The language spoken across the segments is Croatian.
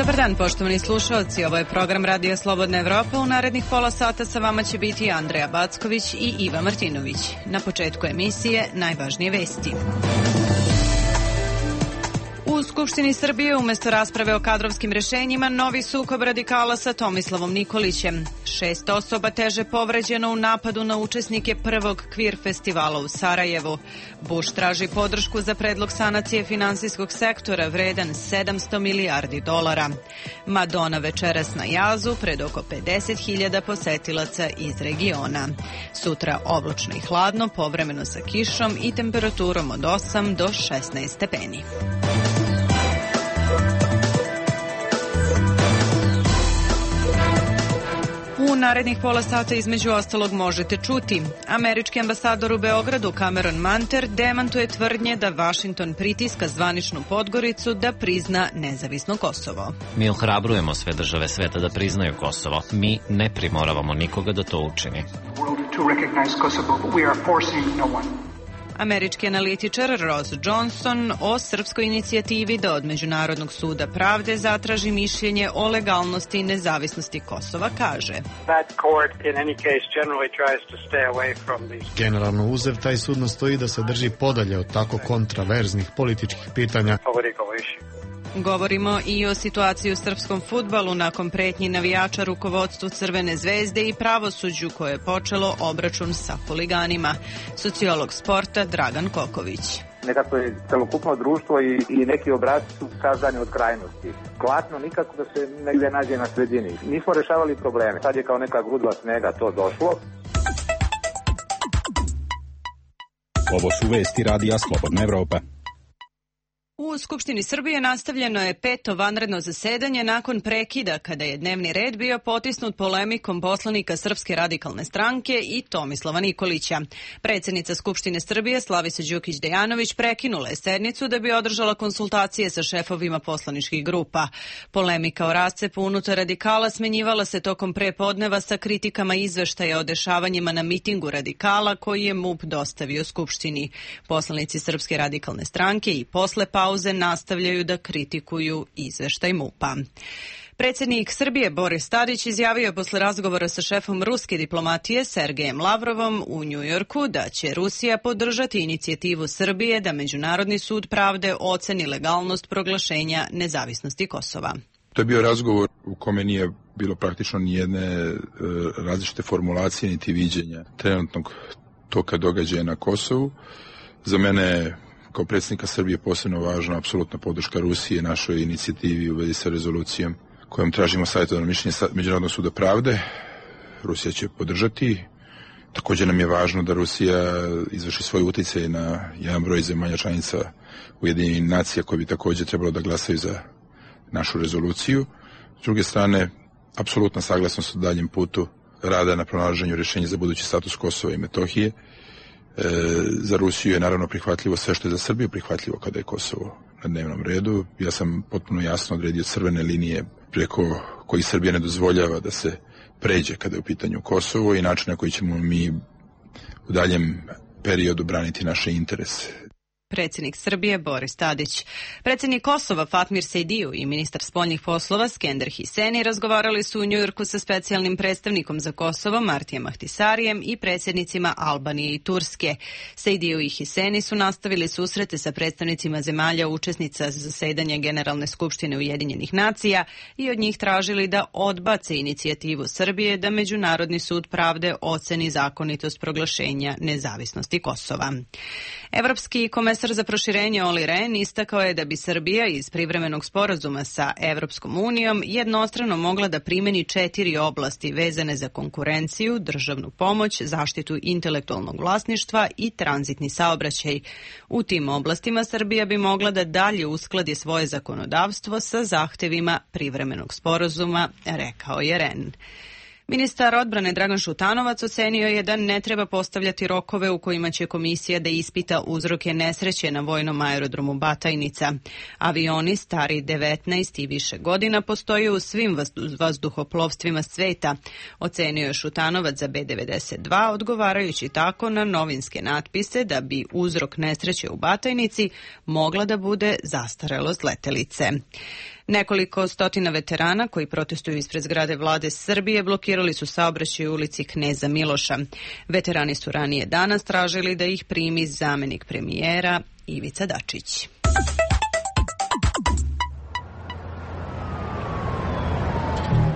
Dobar dan, poštovani slušalci. Ovo je program Radija Slobodna Evropa. U narednih pola sata sa vama će biti Andreja Backović i Iva Martinović. Na početku emisije najvažnije vesti. U Skupštini Srbije umesto rasprave o kadrovskim rešenjima novi sukob radikala sa Tomislavom Nikolićem. 6 osoba teže povređeno u napadu na učesnike prvog kvir festivala u Sarajevu. Bush traži podršku za predlog sanacije finansijskog sektora vredan $700 milijardi. Madonna večeras na jazu pred oko 50.000 posetilaca iz regiona. Sutra oblačno i hladno, povremeno sa kišom i temperaturom od 8 do 16 stepeni. U narednih pola sata između ostalog možete čuti. Američki ambasador u Beogradu Cameron Manter demantuje tvrdnje da Vašington pritiska zvaničnu Podgoricu da prizna nezavisno Kosovo. Mi ohrabrujemo sve države sveta da priznaju Kosovo. Mi ne primoravamo nikoga da to učini. Američki analitičar Ross Johnson o srpskoj inicijativi da od Međunarodnog suda pravde zatraži mišljenje o legalnosti i nezavisnosti Kosova kaže: Generalno uzev, taj sud nastoji da se drži podalje od tako kontraverznih političkih pitanja. Govorimo i o situaciji u srpskom fudbalu nakon pretnji navijača rukovodstvu Crvene zvezde i pravosuđu koje je počelo obračun sa huliganima. Sociolog sporta Dragan Koković. Nekako je celokupno društvo i neki obrazi su skazani od krajnosti. Glasno nikako da se negdje nađe na sredini. Nismo rešavali probleme. Sad je kao neka grudva snega to došlo. Ovo su vesti Radija Slobodna Evropa. U Skupštini Srbije nastavljeno je 5. vanredno zasedanje nakon prekida kada je dnevni red bio potisnut polemikom poslanika Srpske radikalne stranke i Tomislava Nikolića. Predsjednica Skupštine Srbije Slavica Đukić Dejanović prekinula je sednicu da bi održala konsultacije sa šefovima poslaničkih grupa. Polemika o rascepu unutar radikala smenjivala se tokom prepodneva sa kritikama izveštaja o dešavanjima na mitingu radikala koji je MUP dostavio Skupštini. Poslanici Srpske radikalne stranke i posle pauze nastavljaju da kritikuju izveštaj MUP-a. Predsjednik Srbije Boris Tadić izjavio je posle razgovora sa šefom ruske diplomatije Sergejem Lavrovom u Njujorku da će Rusija podržati inicijativu Srbije da Međunarodni sud pravde oceni legalnost proglašenja nezavisnosti Kosova. To je bio razgovor u kome nije bilo praktično nijedne različite formulacije niti viđenja trenutnog toka događaja na Kosovu. Za mene kao predsjednika Srbije posebno važna apsolutna podrška Rusije našoj inicijativi u vezi sa rezolucijom kojom tražimo savjetodavno mišljenje Međunarodnog suda pravde. Rusija će podržati. Također nam je važno da Rusija izvrši svoj utjecaj na jedan broj zemalja članica Ujedinjenih nacija koji bi također trebalo da glasaju za našu rezoluciju. S druge strane, apsolutna saglasnost u daljem putu rada na pronalaženju rješenja za budući status Kosova i Metohije. Za Rusiju je naravno prihvatljivo sve što je za Srbiju prihvatljivo kada je Kosovo na dnevnom redu. Ja sam potpuno jasno odredio crvene linije preko kojih Srbija ne dozvoljava da se pređe kada je u pitanju Kosovo i način na koji ćemo mi u daljem periodu braniti naše interese. Predsjednik Srbije Boris Tadić. Predsjednik Kosova Fatmir Sejdiju i ministar spoljnih poslova Skender Hiseni razgovarali su u Njujorku sa specijalnim predstavnikom za Kosovo Martijem Ahtisarijem i predsjednicima Albanije i Turske. Sejdiju i Hiseni su nastavili susrete sa predstavnicima zemalja učesnica zasedanja Generalne skupštine Ujedinjenih nacija i od njih tražili da odbace inicijativu Srbije da Međunarodni sud pravde oceni zakonitost proglašenja nezavisnosti Kosova. Evropski komesar za proširenje Olli Rehn istakao je da bi Srbija iz privremenog sporazuma sa Evropskom unijom jednostrano mogla da primeni 4 oblasti vezane za konkurenciju, državnu pomoć, zaštitu intelektualnog vlasništva i tranzitni saobraćaj. U tim oblastima Srbija bi mogla da dalje uskladi svoje zakonodavstvo sa zahtevima privremenog sporazuma, rekao je Rehn. Ministar odbrane Dragan Šutanovac ocenio je da ne treba postavljati rokove u kojima će komisija da ispita uzroke nesreće na vojnom aerodromu Batajnica. Avioni stari 19 i više godina postoje u svim vazduhoplovstvima sveta, ocenio je Šutanovac za B-92, odgovarajući tako na novinske natpise da bi uzrok nesreće u Batajnici mogla da bude zastarelost letelice. Nekoliko stotina veterana koji protestuju ispred zgrade vlade Srbije blokirali su saobraćaj u ulici Kneza Miloša. Veterani su ranije danas tražili da ih primi zamenik premijera Ivica Dačić.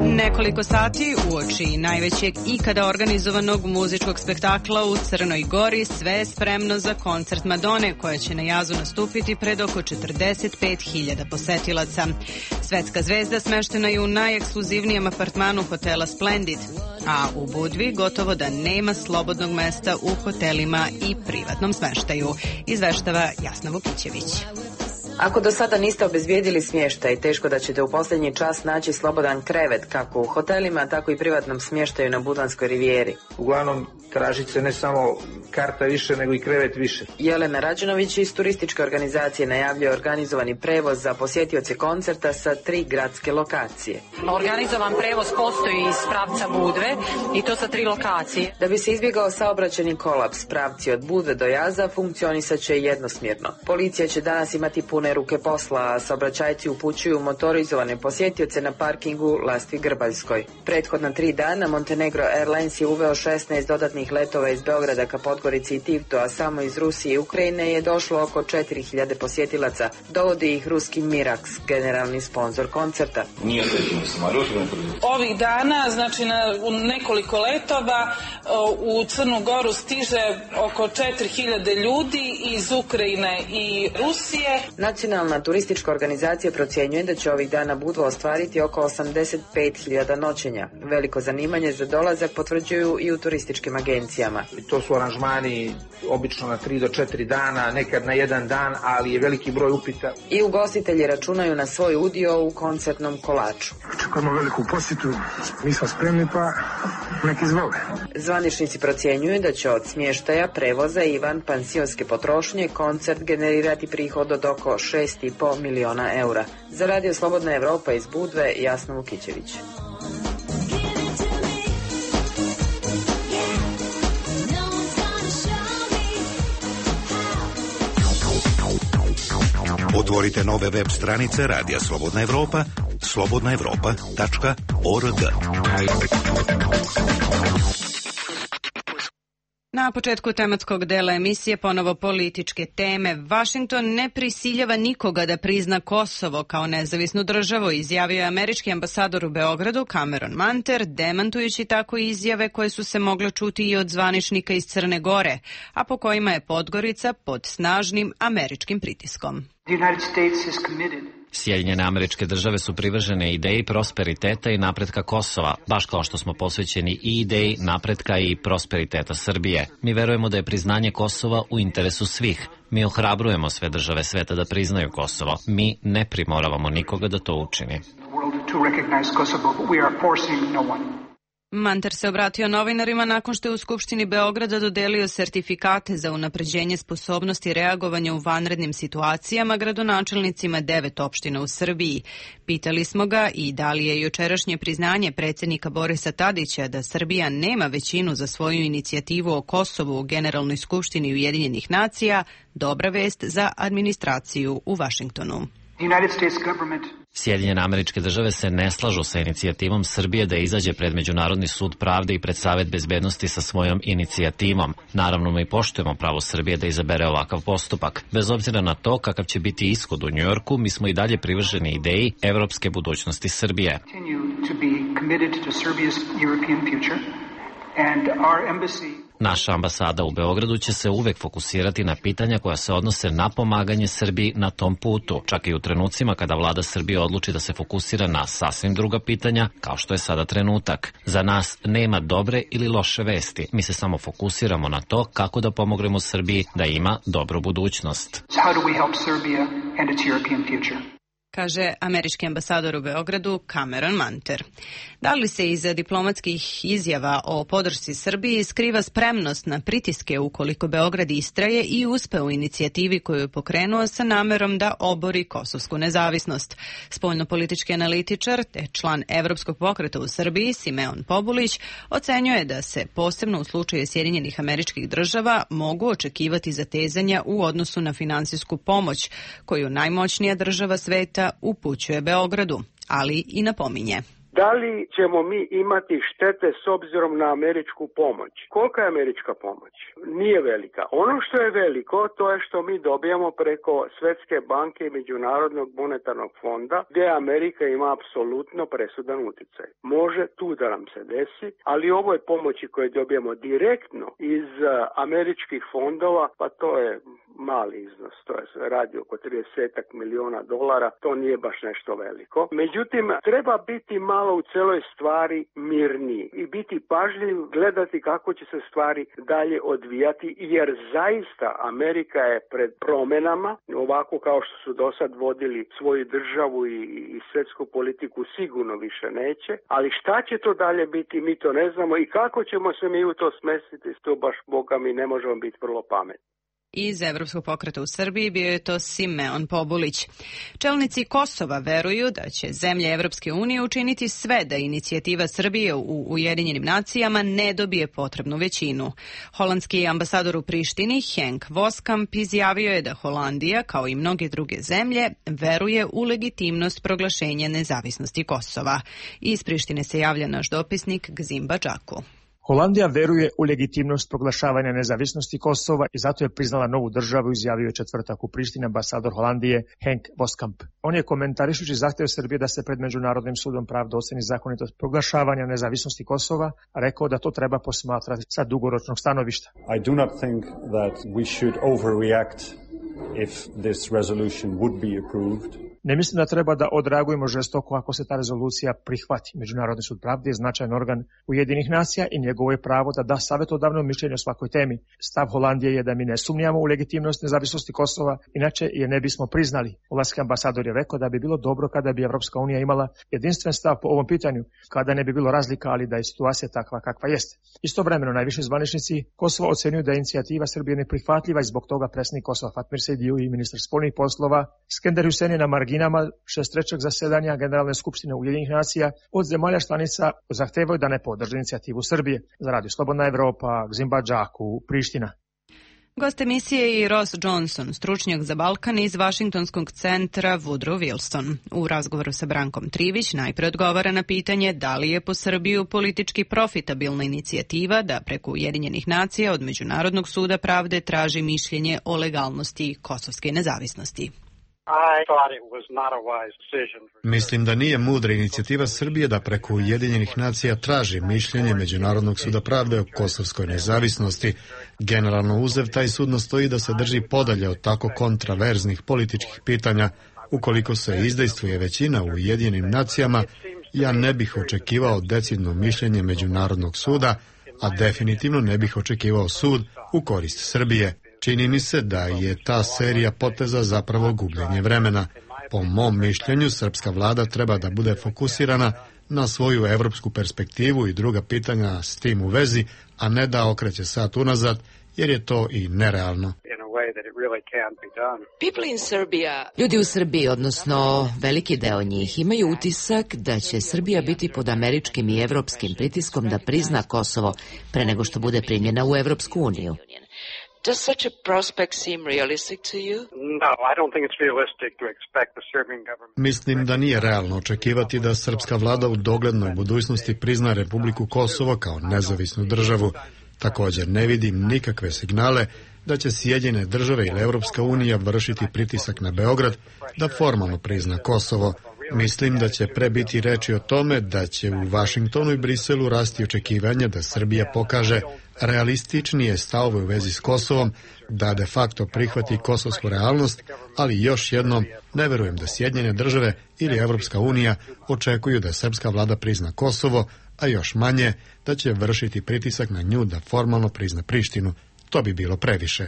Nekoliko sati uoči najvećeg ikada organizovanog muzičkog spektakla u Crnoj Gori, sve je spremno za koncert Madone koja će na jazu nastupiti pred oko 45.000 posetilaca. Svetska zvezda smeštena je u najekskluzivnijem apartmanu hotela Splendid, a u Budvi gotovo da nema slobodnog mesta u hotelima i privatnom smeštaju, izveštava Jasna Vukićević. Ako do sada niste obezbijedili smještaj, teško da ćete u posljednji čas naći slobodan krevet kako u hotelima, tako i privatnom smještaju na Budvanskoj rivijeri. Uglavnom tražit se ne samo karta više, nego i krevet više. Jelena Rađenović iz turističke organizacije najavljuje organizovani prevoz za posjetioce koncerta sa 3 gradske lokacije. Organizovan prevoz postoji iz pravca Budve i to sa 3 lokacije. Da bi se izbjegao saobraćajni kolaps, pravci od Budve do Jaza funkcionisat će jednosmjerno. Policija će danas imati pune ruke posla, a saobraćajci upućuju motorizovane posjetioce na parkingu Lastvi Grbaljskoj. Prethodna 3 dana Montenegro Airlines je uveo 16 dodatnih letova iz Beograda ka Podgorici i Tivtu, a samo iz Rusije i Ukrajine je došlo oko 4.000 posjetilaca. Dovodi ih ruski Mirax, generalni sponzor koncerta. Ovih dana, znači u nekoliko letova u Crnu Goru stiže oko 4.000 ljudi iz Ukrajine i Rusije. Nacionalna turistička organizacija procjenjuje da će ovih dana Budva ostvariti oko 85.000 noćenja. Veliko zanimanje za dolazak potvrđuju i u turističkim agencijama. To su aranžmani obično na 3 do 4 dana, nekad na 1 dan, ali je veliki broj upita. I ugostitelji računaju na svoj udio u koncertnom kolaču. Očekujemo veliku posjetu, mi smo spremni pa nek izvole. Zvaničnici procjenjuju da će od smještaja, prevoza i van pansionske potrošnje koncert generirati prihod od oko 6,5 miliona eura. Za Radio Slobodna Evropa iz Budve, Jasna Vukićević. Otvorite nove web stranice Radija Slobodna Evropa, slobodnaevropa.org. Na početku tematskog dela emisije ponovo političke teme. Vašington ne prisiljava nikoga da prizna Kosovo kao nezavisnu državu, izjavio je američki ambasador u Beogradu Cameron Manter, demantujući tako izjave koje su se mogle čuti i od zvaničnika iz Crne Gore, a po kojima je Podgorica pod snažnim američkim pritiskom. Sjedinjene Američke Države su privržene ideji prosperiteta i napretka Kosova, baš kao što smo posvećeni i ideji napretka i prosperiteta Srbije. Mi verujemo da je priznanje Kosova u interesu svih. Mi ohrabrujemo sve države sveta da priznaju Kosovo. Mi ne primoravamo nikoga da to učini. Manter se obratio novinarima nakon što je u Skupštini Beograda dodelio sertifikate za unapređenje sposobnosti reagovanja u vanrednim situacijama gradonačelnicima 9 opština u Srbiji. Pitali smo ga i da li je jučerašnje priznanje predsjednika Borisa Tadića da Srbija nema većinu za svoju inicijativu o Kosovu u Generalnoj skupštini Ujedinjenih nacija dobra vest za administraciju u Vašingtonu. Sjedinjene Američke Države se ne slažu sa inicijativom Srbije da izađe pred Međunarodni sud pravde i pred Savet bezbednosti sa svojom inicijativom. Naravno, mi poštujemo pravo Srbije da izabere ovakav postupak. Bez obzira na to kakav će biti ishod u Njujorku, mi smo i dalje privrženi ideji evropske budućnosti Srbije. Naša ambasada u Beogradu će se uvek fokusirati na pitanja koja se odnose na pomaganje Srbiji na tom putu, čak i u trenucima kada vlada Srbije odluči da se fokusira na sasvim druga pitanja, kao što je sada trenutak. Za nas nema dobre ili loše vesti. Mi se samo fokusiramo na to kako da pomognemo Srbiji da ima dobru budućnost. Kaže američki ambasador u Beogradu Cameron Manter. Da li se iza diplomatskih izjava o podršci Srbiji skriva spremnost na pritiske ukoliko Beograd istraje i uspe u inicijativi koju je pokrenuo sa namerom da obori kosovsku nezavisnost? Spoljnopolitički analitičar te član Evropskog pokreta u Srbiji Simeon Pobulić ocenjuje da se posebno u slučaju Sjedinjenih Američkih Država mogu očekivati zatezanja u odnosu na finansijsku pomoć koju najmoćnija država sveta članica upućuje Beogradu, ali i napominje. Da li ćemo mi imati štete s obzirom na američku pomoć? Kolika je američka pomoć? Nije velika. Ono što je veliko, to je što mi dobijamo preko Svjetske banke i Međunarodnog monetarnog fonda, gdje Amerika ima apsolutno presudan utjecaj. Može tu da nam se desi, ali ovoj pomoći koje dobijamo direktno iz američkih fondova, pa to je mali iznos, to je radi oko 30 milijuna dolara, to nije baš nešto veliko. Međutim, treba biti malo u celoj stvari mirniji i biti pažljiv, gledati kako će se stvari dalje odvijati, jer zaista Amerika je pred promjenama, ovako kao što su do sad vodili svoju državu i svjetsku politiku sigurno više neće, ali šta će to dalje biti, mi to ne znamo i kako ćemo se mi u to smestiti, to baš Boga mi ne možemo biti vrlo pametni. Iz Evropskog pokreta u Srbiji bio je to Simeon Pobulić. Čelnici Kosova veruju da će zemlje Evropske unije učiniti sve da inicijativa Srbije u Ujedinjenim nacijama ne dobije potrebnu većinu. Holandski ambasador u Prištini Henk Voskamp izjavio je da Holandija, kao i mnoge druge zemlje, veruje u legitimnost proglašenja nezavisnosti Kosova. Iz Prištine se javlja naš dopisnik Gzim Badžaku. Holandija veruje u legitimnost proglašavanja nezavisnosti Kosova i zato je priznala novu državu, izjavio je četvrtak u Prištini ambasador Holandije Henk Voskamp. On je komentarišući zahtjev Srbije da se pred Međunarodnim sudom pravde oceni zakonitost proglašavanja nezavisnosti Kosova, rekao da to treba posmatrati sa dugoročnog stanovišta. I do not think that we should overreact if this resolution would be approved. Ne mislim da treba da odreagujemo žestoko ako se ta rezolucija prihvati. Međunarodni sud pravde je značajan organ Ujedinjenih nacija i njegovo je pravo da da savjetodavno mišljenje o svakoj temi. Stav Holandije je da mi ne sumnjamo u legitimnost nezavisnosti Kosova, inače je ne bismo priznali. Holandski ambasador je rekao da bi bilo dobro kada bi Evropska unija imala jedinstven stav po ovom pitanju, kada ne bi bilo razlika, ali da je situacija takva kakva jeste. Istovremeno najviši zvaničnici Kosova ocenjuju da je inicijativa Srbije neprihvatljiva i zbog toga predsjednik Kosova Fatmir Sejdiu i ministar spoljnih poslova Skender Hüseyin je na marginama 63. zasedanja Generalne skupštine Ujedinjenih nacija od zemalja članica zahtevaju da ne podrže inicijativu Srbije. Za Radio Slobodna Evropa, Gzim Badžaku, Priština. Gost emisije je Ross Johnson, stručnjak za Balkan iz Vašingtonskog centra Woodrow Wilson. U razgovoru sa Brankom Trivić najpre odgovara na pitanje da li je po Srbiju politički profitabilna inicijativa da preko Ujedinjenih nacija od Međunarodnog suda pravde traži mišljenje o legalnosti kosovske nezavisnosti. Mislim da nije mudra inicijativa Srbije da preko Ujedinjenih nacija traži mišljenje Međunarodnog suda pravde o kosovskoj nezavisnosti. Generalno uzev, taj sud nastoji da se drži podalje od tako kontraverznih političkih pitanja. Ukoliko se izdejstvuje većina u Ujedinjenim nacijama, ja ne bih očekivao decidno mišljenje Međunarodnog suda, a definitivno ne bih očekivao sud u korist Srbije. Čini mi se da je ta serija poteza zapravo gubljenje vremena. Po mom mišljenju, srpska vlada treba da bude fokusirana na svoju evropsku perspektivu i druga pitanja s tim u vezi, a ne da okreće sat unazad, jer je to i nerealno. Ljudi u Srbiji, odnosno veliki deo njih, imaju utisak da će Srbija biti pod američkim i evropskim pritiskom da prizna Kosovo pre nego što bude primljena u Evropsku uniju. Does such a prospect seem realistic to you? No, I don't think it's realistic to expect the Serbian government. Mislim da nije realno očekivati da srpska vlada u doglednoj budućnosti prizna Republiku Kosovo kao nezavisnu državu. Također ne vidim nikakve signale da će Sjedinjene države ili Evropska unija vršiti pritisak na Beograd da formalno prizna Kosovo. Mislim da će pre biti reči o tome da će u Vašingtonu i Briselu rasti očekivanja da Srbija pokaže realističnije stavove u vezi s Kosovom, da de facto prihvati kosovsku realnost, ali još jednom ne verujem da Sjedinjene države ili Evropska unija očekuju da srpska vlada prizna Kosovo, a još manje da će vršiti pritisak na nju da formalno prizna Prištinu. To bi bilo previše.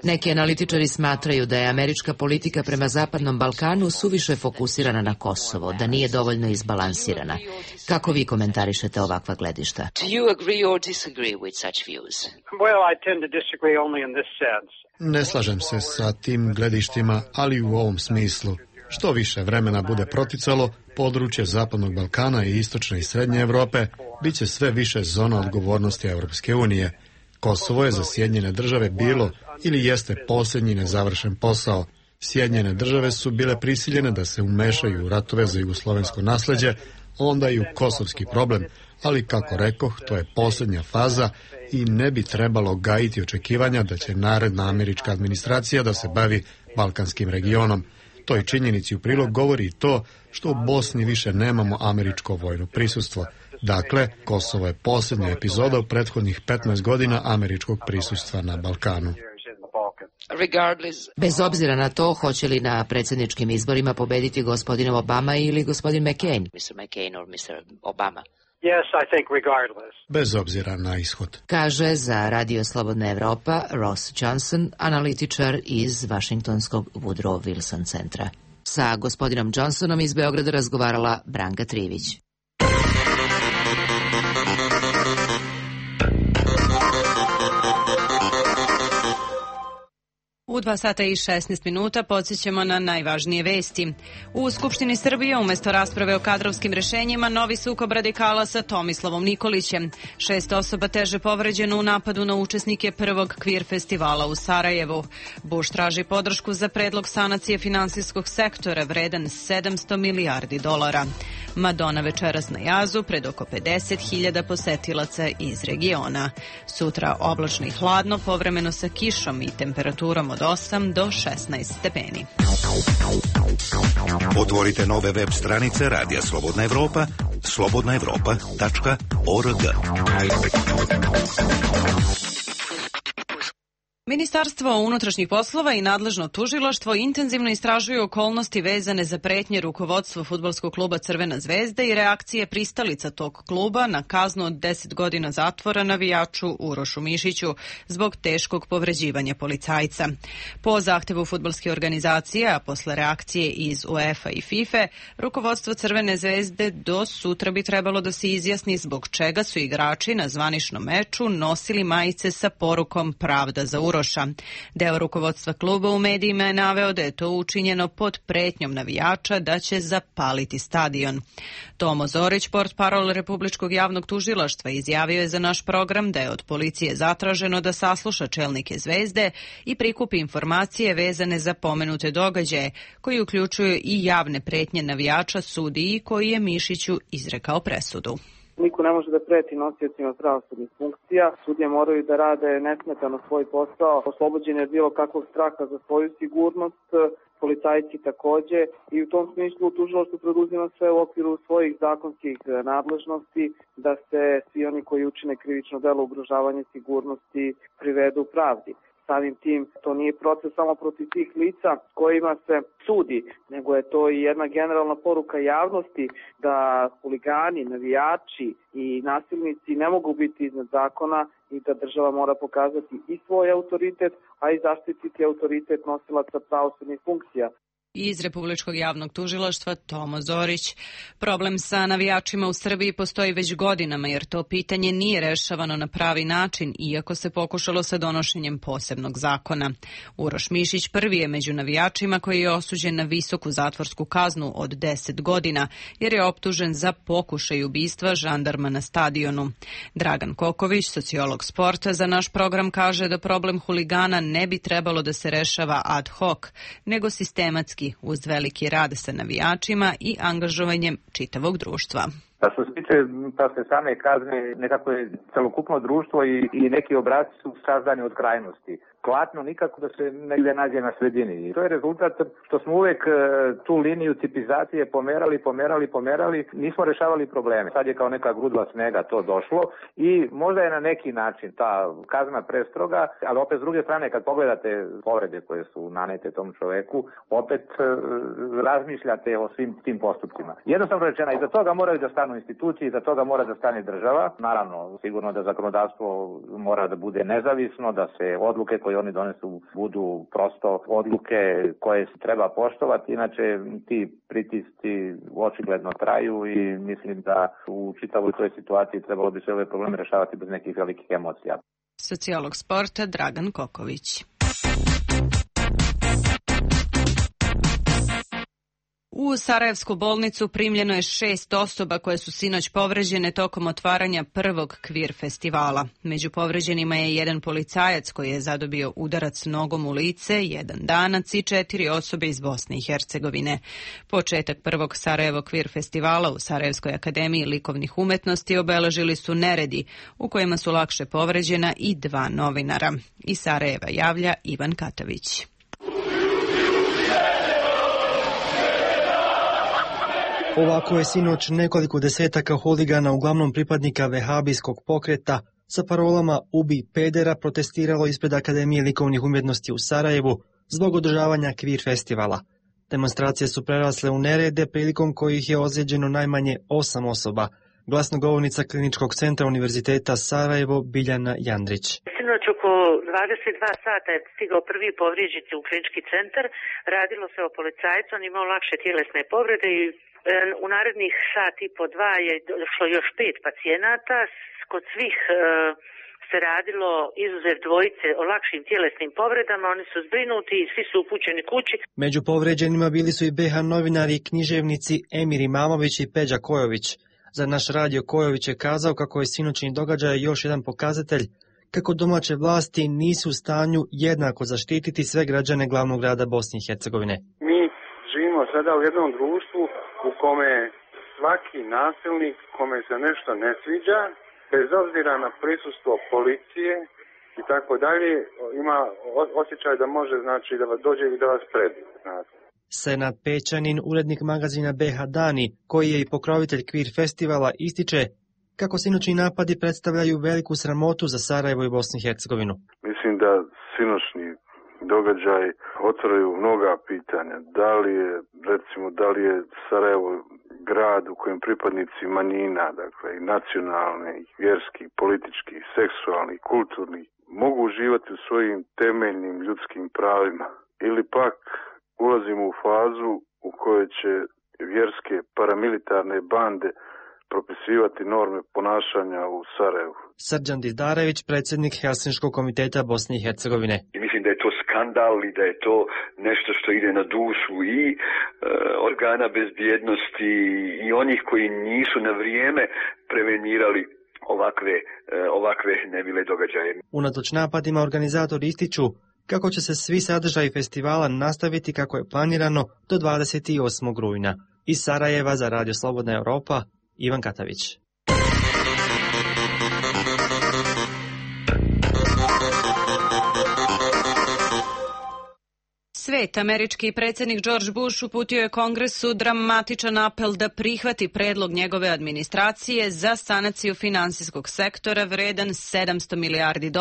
Neki analitičari smatraju da je američka politika prema Zapadnom Balkanu suviše fokusirana na Kosovo, da nije dovoljno izbalansirana. Kako vi komentarišete ovakva gledišta? Ne slažem se sa tim gledištima, ali u ovom smislu. Što više vremena bude proticalo, područje Zapadnog Balkana i Istočne i Srednje Evrope bit će sve više zona odgovornosti Europske unije. Kosovo je za Sjedinjene države bilo ili jeste posljednji nezavršen posao. Sjedinjene države su bile prisiljene da se umešaju u ratove za jugoslovensko nasleđe, onda i u kosovski problem, ali kako rekoh, to je posljednja faza i ne bi trebalo gajiti očekivanja da će naredna američka administracija da se bavi balkanskim regionom. Toj činjenici u prilog govori i to što u Bosni više nemamo američko vojno prisustvo. Dakle, Kosovo je posljednja epizoda u prethodnih 15 godina američkog prisustva na Balkanu. Bez obzira na to, hoće li na predsjedničkim izborima pobediti gospodin Obama ili gospodin McCain? Bez obzira na ishod. Kaže za Radio Slobodna Evropa Ross Johnson, analitičar iz Vašingtonskog Woodrow Wilson centra. Sa gospodinom Johnsonom iz Beograda razgovarala Branka Trivić. U 2 sata i 16 minuta podsjećamo na najvažnije vesti. U Skupštini Srbije umjesto rasprave o kadrovskim rješenjima novi sukob radikala sa Tomislavom Nikolićem. 6 osoba teže povređeno u napadu na učesnike prvog kvir festivala u Sarajevu. Bush traži podršku za predlog sanacije finansijskog sektora vredan $700 milijardi. Madonna večeras na jazu pred oko 50.000 posetilaca iz regiona. Sutra oblačno i hladno, povremeno sa kišom i temperaturom od 8 do 16 stepeni. Otvorite nove web stranice Radija Slobodna Evropa, slobodnaevropa.org. Ministarstvo unutrašnjih poslova i nadležno tužilaštvo intenzivno istražuju okolnosti vezane za pretnje rukovodstvu fudbalskog kluba Crvena zvezda i reakcije pristalica tog kluba na kaznu od 10 godina zatvora navijaču Urošu Mišiću zbog teškog povređivanja policajca. Po zahtevu fudbalske organizacije, a posle reakcije iz UEFA i FIFA, rukovodstvo Crvene zvezde do sutra bi trebalo da se izjasni zbog čega su igrači na zvaničnom meču nosili majice sa porukom Pravda za Uroša. Deo rukovodstva kluba u medijima je naveo da je to učinjeno pod pretnjom navijača da će zapaliti stadion. Tomo Zorić, portparol Republičkog javnog tužilaštva, izjavio je za naš program da je od policije zatraženo da sasluša čelnike Zvezde i prikupi informacije vezane za pomenute događaje, koji uključuju i javne pretnje navijača sudiji koji je Mišiću izrekao presudu. Niko ne može da preti nosiocima pravosudnih funkcija. Sudije moraju da rade nesmetano svoj posao, oslobođeni od bilo kakvog straha za svoju sigurnost, policajci takođe, i u tom smislu tužilaštvo preduzima sve u okviru svojih zakonskih nadležnosti da se svi oni koji učine krivično delo ugrožavanja sigurnosti privedu pravdi. Samim tim, to nije proces samo protiv tih lica kojima se sudi, nego je to i jedna generalna poruka javnosti da huligani, navijači i nasilnici ne mogu biti iznad zakona i da država mora pokazati i svoj autoritet, a i zaštititi autoritet nosilaca pravosudnih funkcija. Iz Republičkog javnog tužilaštva Tomo Zorić. Problem sa navijačima u Srbiji postoji već godinama, jer to pitanje nije rešavano na pravi način, iako se pokušalo sa donošenjem posebnog zakona. Uroš Mišić prvi je među navijačima koji je osuđen na visoku zatvorsku kaznu od 10 godina, jer je optužen za pokušaj ubistva žandarma na stadionu. Dragan Koković, sociolog sporta, za naš program kaže da problem huligana ne bi trebalo da se rešava ad hoc, nego sistematski, uz veliki rad sa navijačima i angažovanjem čitavog društva. Što se tiče same kazne, nekako je celokupno društvo i neki obrasci su sazdani od krajnosti. Klatno nikako da se negdje nađe na sredini. I to je rezultat što smo uvek tu liniju tipizacije pomerali, nismo rešavali probleme. Sad je kao neka grudva snega to došlo i možda je na neki način ta kazna prestroga, ali opet s druge strane kad pogledate povrede koje su nanete tom čoveku, opet razmišljate o svim tim postupcima. Jednostavno rečeno, iza toga moraju da stanu institucije, iza toga mora da stane država. Naravno, sigurno da zakonodavstvo mora da bude nezavisno, da se odluke koje oni donesu budu prosto odluke koje se treba poštovati, inače ti pritisci očigledno traju i mislim da u čitavoj toj situaciji trebalo bi se ove probleme rešavati bez nekih velikih emocija. Sociolog sporta Dragan Koković. U Sarajevsku bolnicu primljeno je 6 osoba koje su sinoć povređene tokom otvaranja prvog kvir festivala. Među povređenima je jedan policajac koji je zadobio udarac nogom u lice, jedan Danac i 4 osobe iz Bosne i Hercegovine. Početak prvog Sarajevo kvir festivala u Sarajevskoj akademiji likovnih umetnosti obeležili su neredi u kojima su lakše povređena i 2 novinara. Iz Sarajeva javlja Ivan Katavić. Ovako je sinoć nekoliko desetaka huligana, uglavnom pripadnika vehabijskog pokreta, sa parolama "Ubi pedera" protestiralo ispred Akademije likovnih umjetnosti u Sarajevu zbog održavanja kvir festivala. Demonstracije su prerasle u nerede, prilikom kojih je ozlijeđeno najmanje 8 osoba. Glasnogovornica Kliničkog centra Univerziteta Sarajevo Biljana Jandrić. Sinoć oko 22 sata je stigao prvi povrijeđeni u klinički centar. Radilo se o policajcu, on imao lakše tjelesne povrede i u narednih sat i po 2 je došlo još 5 pacijenata. Kod svih se radilo, izuzev dvojice, o lakšim tjelesnim povredama. Oni su zbrinuti i svi su upućeni kući. Među povređenima bili su i BH novinari i književnici Emir Imamović i Peđa Kojović. Za naš radio Kojović je kazao kako je sinoćni događaj još jedan pokazatelj kako domaće vlasti nisu u stanju jednako zaštititi sve građane glavnog grada Bosne i Hercegovine. Mi živimo sada u jednom društvu u kome svaki nasilnik kome se nešto ne sviđa, bez obzira na prisustvo policije i tako dalje, ima osjećaj da može, znači, da vas dođe i da vas predi. Senad Pećanin, urednik magazina BH Dani, koji je i pokrovitelj kvir festivala, ističe kako sinoćni napadi predstavljaju veliku sramotu za Sarajevo i Bosnu i Hercegovinu. Mislim da sinoćni događaj otvaraju mnoga pitanja. Da li je Sarajevo grad u kojem pripadnici manjina, dakle i nacionalne, i vjerski, politički, seksualni, kulturni, mogu uživati u svojim temeljnim ljudskim pravima, ili pak ulazimo u fazu u kojoj će vjerske paramilitarne bande propisivati norme ponašanja u Sarajevu. Srđan Dizdarević, predsjednik Helsinškog komiteta Bosne i Hercegovine. I mislim da je to skandal i da je to nešto što ide na dušu i organa bezbjednosti i onih koji nisu na vrijeme prevenirali ovakve nemile događaje. Unatoč napadima organizatori ističu kako će se svi sadržaji festivala nastaviti kako je planirano do 28. rujna. Iz Sarajeva za Radio Slobodna Europa, Ivan Katavić. Svet, američki predsjednik George Bush uputio je Kongresu dramatičan apel da prihvati predlog njegove administracije za sanaciju finansijskog sektora vredan $700 milijardi,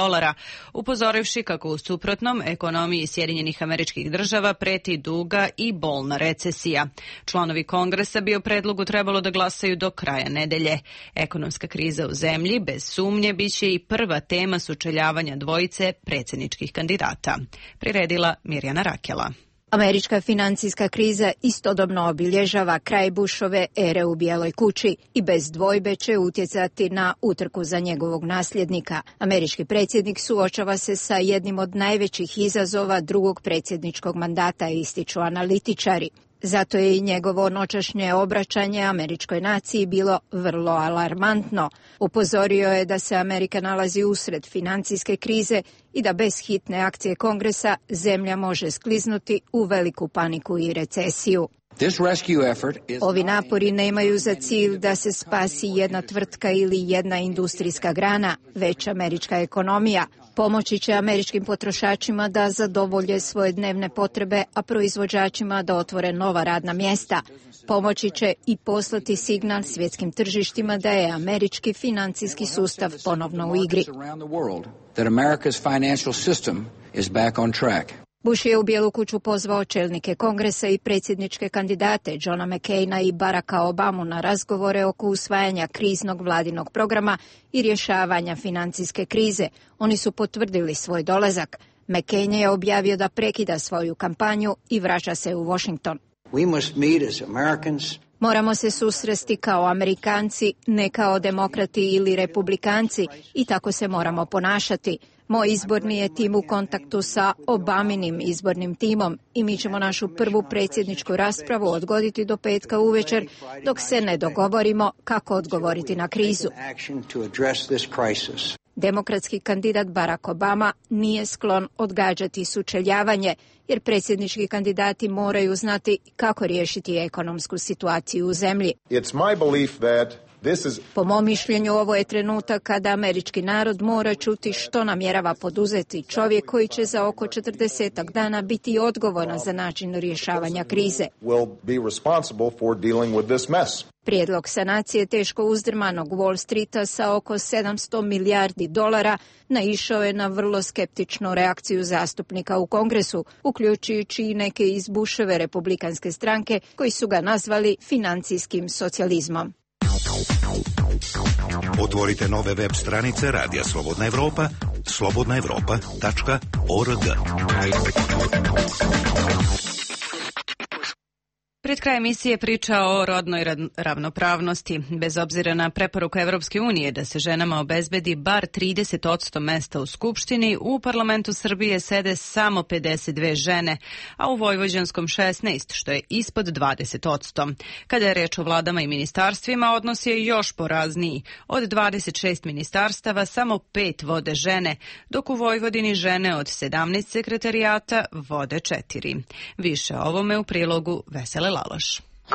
upozorivši kako u suprotnom ekonomiji Sjedinjenih Američkih Država preti duga i bolna recesija. Članovi Kongresa bi o predlogu trebalo da glasaju do kraja nedelje. Ekonomska kriza u zemlji bez sumnje biće i prva tema sučeljavanja dvojice predsjedničkih kandidata. Priredila Mirjana Rakela. Američka financijska kriza istodobno obilježava kraj Bushove ere u Bijeloj kući i bez dvojbe će utjecati na utrku za njegovog nasljednika. Američki predsjednik suočava se sa jednim od najvećih izazova drugog predsjedničkog mandata, ističu analitičari. Zato je i njegovo noćašnje obraćanje američkoj naciji bilo vrlo alarmantno. Upozorio je da se Amerika nalazi usred financijske krize i da bez hitne akcije Kongresa zemlja može skliznuti u veliku paniku i recesiju. Ovi napori nemaju za cilj da se spasi jedna tvrtka ili jedna industrijska grana, već američka ekonomija. Pomoći će američkim potrošačima da zadovolje svoje dnevne potrebe, a proizvođačima da otvore nova radna mjesta. Pomoći će i poslati signal svjetskim tržištima da je američki financijski sustav ponovno u igri. Bush je u Bijelu kuću pozvao čelnike Kongresa i predsjedničke kandidate Johna McCaina i Baracka Obamu na razgovore oko usvajanja kriznog vladinog programa i rješavanja financijske krize. Oni su potvrdili svoj dolazak. McCain je objavio da prekida svoju kampanju i vraća se u Washington. Moramo se susresti kao Amerikanci, ne kao demokrati ili republikanci i tako se moramo ponašati. Moj izborni je tim u kontaktu sa Obaminim izbornim timom i mi ćemo našu prvu predsjedničku raspravu odgoditi do petka uvečer dok se ne dogovorimo kako odgovoriti na krizu. Demokratski kandidat Barack Obama nije sklon odgađati sučeljavanje, jer predsjednički kandidati moraju znati kako riješiti ekonomsku situaciju u zemlji. Po mom mišljenju, ovo je trenutak kada američki narod mora čuti što namjerava poduzeti čovjek koji će za oko 40 dana biti odgovoran za način rješavanja krize. Prijedlog sanacije teško uzdrmanog Wall Streeta sa oko $700 milijardi naišao je na vrlo skeptičnu reakciju zastupnika u Kongresu, uključujući i neke iz Bushove republikanske stranke koji su ga nazvali financijskim socijalizmom. Otvorite nove web stranice Radija Slobodna Evropa, slobodnaevropa.org. Pred kraj emisije priča o rodnoj ravnopravnosti. Bez obzira na preporuku Evropske unije da se ženama obezbedi bar 30% mesta u Skupštini, u parlamentu Srbije sede samo 52 žene, a u vojvođanskom 16, što je ispod 20%. Kada je reč o vladama i ministarstvima, odnos je još porazniji. Od 26 ministarstava samo 5 vode žene, dok u Vojvodini žene od 17 sekretarijata vode 4. Više o ovome u prilogu Vesele Laloš.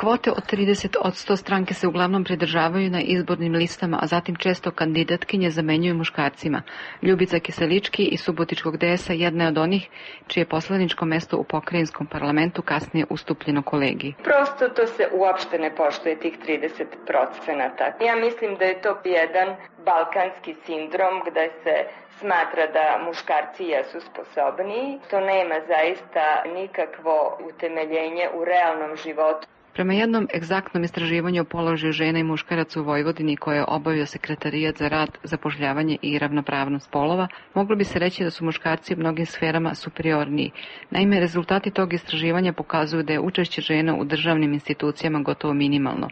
Kvote od 30% stranke se uglavnom pridržavaju na izbornim listama, a zatim često kandidatkinje zamenjuju muškarcima. Ljubica Kiselički iz Subotičkog DS-a jedna je od onih čije poslaničko mesto u pokrajinskom parlamentu kasnije ustupljeno kolegi. Prosto to se uopšte ne poštuje, tih 30%. Ja mislim da je to jedan balkanski sindrom gde se smatra da muškarci jesu sposobniji. To nema zaista nikakvo utemeljenje u realnom životu. Prema jednom egzaktnom istraživanju o položaju žena i muškaraca u Vojvodini koje je obavio Sekretarijat za rad, zapošljavanje i ravnopravnost polova, moglo bi se reći da su muškarci u mnogim sferama superiorniji. Naime, rezultati tog istraživanja pokazuju da je učešće žena u državnim institucijama gotovo minimalno.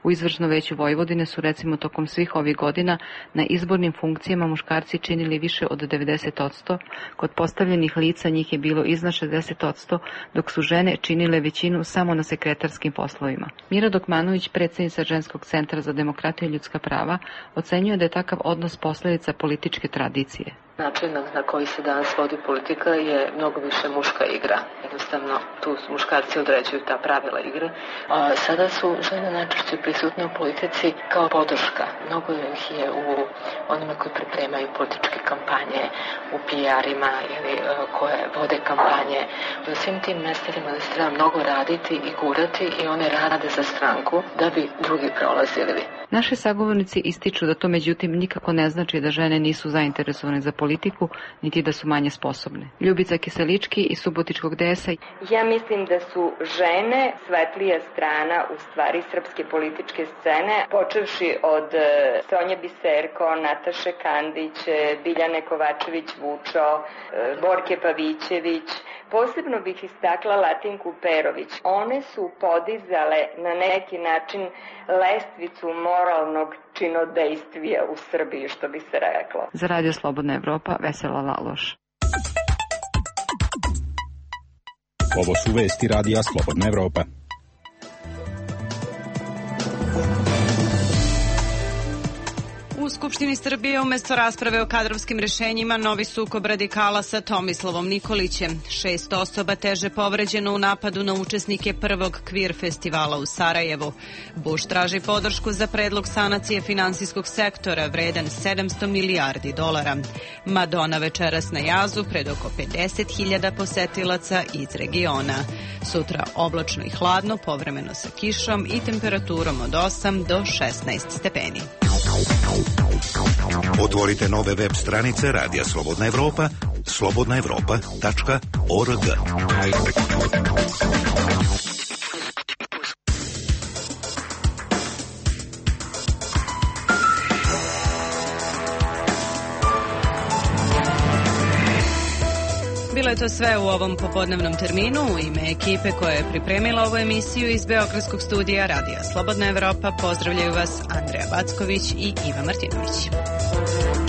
U izvršno veću Vojvodine su recimo tokom svih ovih godina na izbornim funkcijama muškarci činili više od 90%, kod postavljenih lica njih je bilo iznad 60%, dok su žene činile većinu samo na sekretarskim poslovima. Mira Dokmanović, predsjednica Ženskog centra za demokratiju i ljudska prava, ocenjuje da je takav odnos posljedica političke tradicije. Način na koji se danas vodi politika je mnogo više muška igra. Jednostavno, tu muškarci određuju ta pravila igre. A sada su žene najčešće prisutne u politici kao podrška. Mnogo ih je u onima koji pripremaju političke kampanje, u PR-ima ili koje vode kampanje. U svim tim mestima da se treba mnogo raditi i gurati i one rade za stranku da bi drugi prolazili. Naši sagovornici ističu da to međutim nikako ne znači da žene nisu zainteresovane za politiku, niti da su manje sposobne. Ljubica Kiselički iz Subotičkog DS-a. Ja mislim da su žene svetlija strana u stvari srpske političke scene, počevši od Sonje Biserko, Nataše Kandić, Biljane Kovačević-Vučo, Borke Pavićević. Posebno bih istakla Latinku Perović. One su podizale na neki način lestvicu moralnog činodejstvija u Srbiji, što bi se reklo. Za Radio Slobodna Evropa, Vesela Laloš. Ovo su vesti Radija Slobodna Evropa. U Skupštini Srbije umjesto rasprave o kadrovskim rješenjima novi sukob radikala sa Tomislavom Nikolićem. 6 osoba teže povređeno u napadu na učesnike prvog kvir festivala u Sarajevu. Bush traži podršku za predlog sanacije finansijskog sektora vredan $700 milijardi. Madonna večeras na jazu pred oko 50.000 posetilaca iz regiona. Sutra oblačno i hladno, povremeno sa kišom i temperaturom od 8 do 16 stepeni. Otvorite nove web stranice Radija Slobodna Evropa, slobodnaevropa.org. Bilo je je to sve u ovom popodnevnom terminu. U ime ekipe koja je pripremila ovu emisiju iz Beogradskog studija Radija Slobodna Evropa pozdravljaju vas Andreja Backović i Iva Martinović.